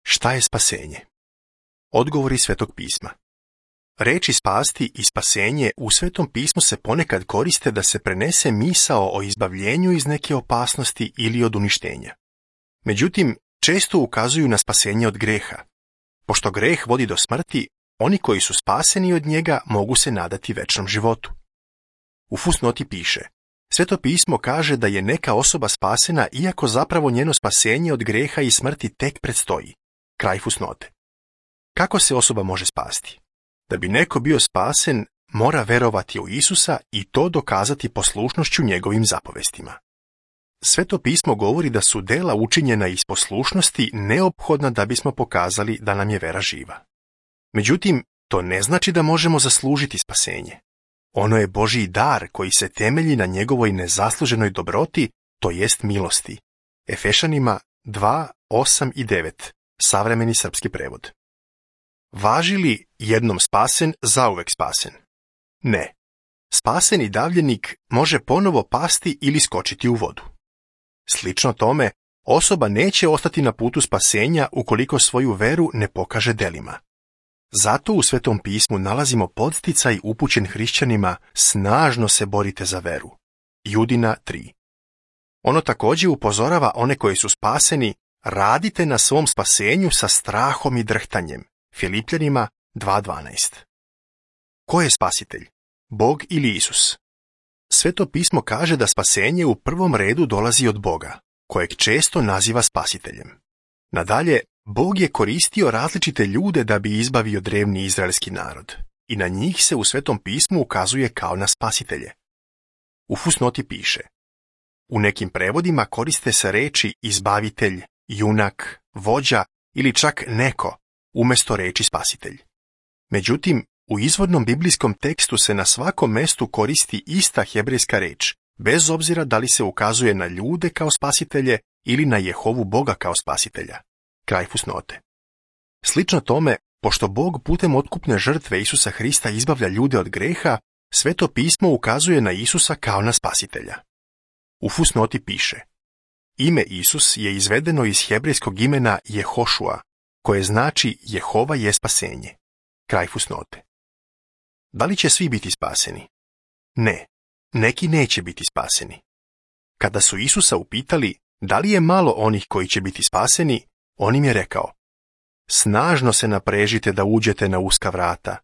Šta je spasenje? Odgovori Svetog pisma. Reči spasti i spasenje u Svetom pismu se ponekad koriste da se prenese misao o izbavljenju iz neke opasnosti ili od uništenja. Međutim, često ukazuju na spasenje od greha. Pošto greh vodi do smrti, oni koji su spaseni od njega mogu se nadati večnom životu. U fusnoti piše: Sveto pismo kaže da je neka osoba spasena iako zapravo njeno spasenje od greha i smrti tek predstoji. Kraj fusnote. Kako se osoba može spasti? Da bi neko bio spasen, mora verovati u Isusa i to dokazati poslušnošću njegovim zapovestima. Sveto pismo govori da su dela učinjena iz poslušnosti neophodna da bismo pokazali da nam je vera živa. Međutim, to ne znači da možemo zaslužiti spasenje. Ono je Božji dar koji se temelji na njegovoj nezasluženoj dobroti, to jest milosti. Efešanima 2, 8 i 9, savremeni srpski prevod. Važi li jednom spasen, zauvek spasen? Ne. Spaseni davljenik može ponovo pasti ili skočiti u vodu. Slično tome, osoba neće ostati na putu spasenja ukoliko svoju veru ne pokaže delima. Zato u Svetom pismu nalazimo podsticaj upućen hrišćanima: snažno se borite za veru. Judina 3. Ono također upozorava one koji su spaseni: radite na svom spasenju sa strahom i drhtanjem. Filipljanima 2.12. Ko je spasitelj? Bog ili Isus? Sveto pismo kaže da spasenje u prvom redu dolazi od Boga, kojeg često naziva spasiteljem. Nadalje, Bog je koristio različite ljude da bi izbavio drevni izraelski narod i na njih se u Svetom pismu ukazuje kao na spasitelje. U fusnoti piše: u nekim prevodima koriste se reči izbavitelj, junak, vođa ili čak neko umjesto reči spasitelj. Međutim, u izvornom biblijskom tekstu se na svakom mestu koristi ista hebrejska reč, bez obzira da li se ukazuje na ljude kao spasitelje ili na Jehovu Boga kao spasitelja. Kraj fusnote. Slično tome, pošto Bog putem otkupne žrtve Isusa Hrista izbavlja ljude od greha, Sveto pismo ukazuje na Isusa kao na spasitelja. U fusnoti piše: ime Isus je izvedeno iz hebrejskog imena Jehošua, koje znači Jehova je spasenje. Kraj fusnote. Da li će svi biti spaseni? Ne, neki neće biti spaseni. Kada su Isusa upitali da li je malo onih koji će biti spaseni, on im je rekao: snažno se naprežite da uđete na uska vrata,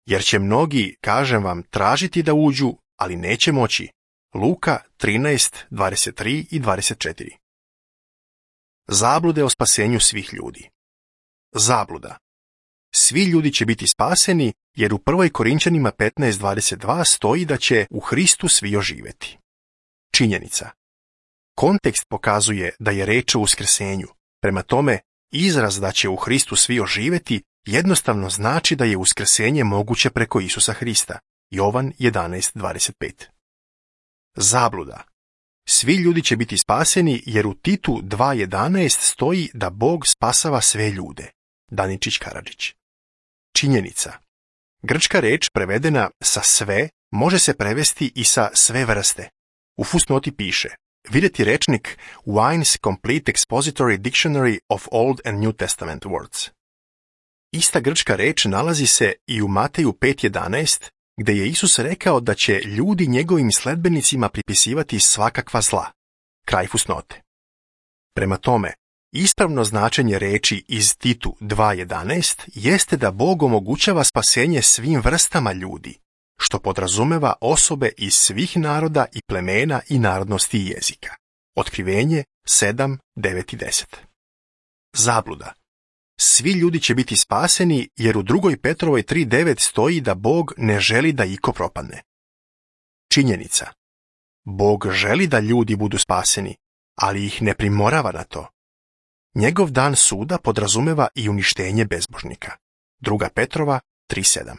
jer će mnogi, kažem vam, tražiti da uđu, ali neće moći. Luka 13, 23 i 24. Zablude o spasenju svih ljudi. Zabluda. Svi ljudi će biti spaseni, jer u 1. Korinčanima 15.22 stoji da će u Hristu svi oživjeti. Činjenica. Kontekst pokazuje da je reč o uskrsenju. Prema tome, izraz da će u Hristu svi oživjeti jednostavno znači da je uskrsenje moguće preko Isusa Hrista. Jovan 11.25. Zabluda. Svi ljudi će biti spaseni, jer u Titu 2.11 stoji da Bog spasava sve ljude. Daničić Karadžić. Činjenica. Grčka reč prevedena sa sve može se prevesti i sa sve vrste. U fusnoti piše: vidjeti rečnik Wine's Complete Expository Dictionary of Old and New Testament Words. Ista grčka reč nalazi se i u Mateju 5.11, gdje je Isus rekao da će ljudi njegovim sledbenicima pripisivati svakakva zla. Kraj fusnote. Prema tome, ispravno značenje reči iz Titu 2.11 jeste da Bog omogućava spasenje svim vrstama ljudi, što podrazumeva osobe iz svih naroda i plemena i narodnosti i jezika. Otkrivenje 7, 9 i 10. Zabluda. Svi ljudi će biti spaseni, jer u 2. Petrovoj 3.9 stoji da Bog ne želi da iko propadne. Činjenica. Bog želi da ljudi budu spaseni, ali ih ne primorava na to. Njegov dan suda podrazumeva i uništenje bezbožnika. 2. Petrova 3.7.